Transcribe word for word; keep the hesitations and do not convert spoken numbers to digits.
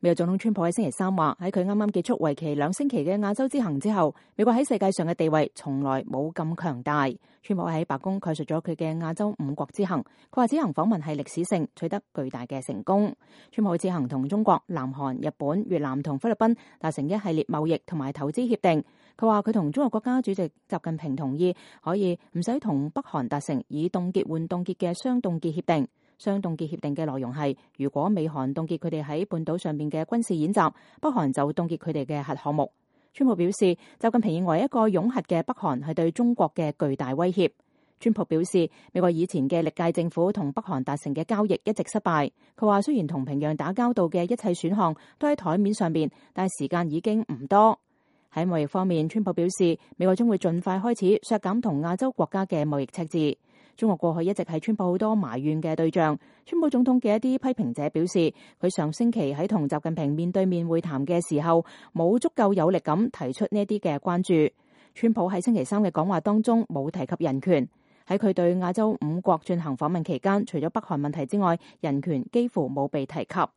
美國總統川普喺星期三話，喺佢啱啱結束為期兩星期嘅亞洲之行之後，美國喺世界上嘅地位從來冇咁強大。川普喺白宮概述咗佢嘅亞洲五國之行，佢話此行訪問係歷史性，取得巨大嘅成功。川普此行同中國、南韓、日本、越南同菲律賓達成一系列貿易同埋投資協定。佢話佢同中國國家主席習近平同意可以唔使同北韓達成以凍結換凍結嘅雙凍結協定。雙凍結協定嘅內容係，如果美韓凍結佢哋喺半島上面嘅軍事演習，北韓就凍結佢哋嘅核項目。川普表示，習近平認為一個擁核嘅北韓係對中國嘅巨大威脅。川普表示，美國以前嘅歷屆政府同北韓達成嘅交易一直失敗。佢話雖然同平壤打交道嘅一切選項都喺台面上面，但係時間已經唔多。喺貿易方面，川普表示，美國將會盡快開始削減同亞洲國家嘅貿易赤字。中國過去一直係川普好多埋怨嘅對象。川普總統嘅一啲批評者表示，佢上星期喺同習近平面對面會談嘅時候，冇足夠有力咁提出呢啲嘅關注。川普喺星期三嘅講話當中冇提及人權。喺佢對亞洲五國進行訪問期間，除咗北韓問題之外，人權幾乎冇被提及。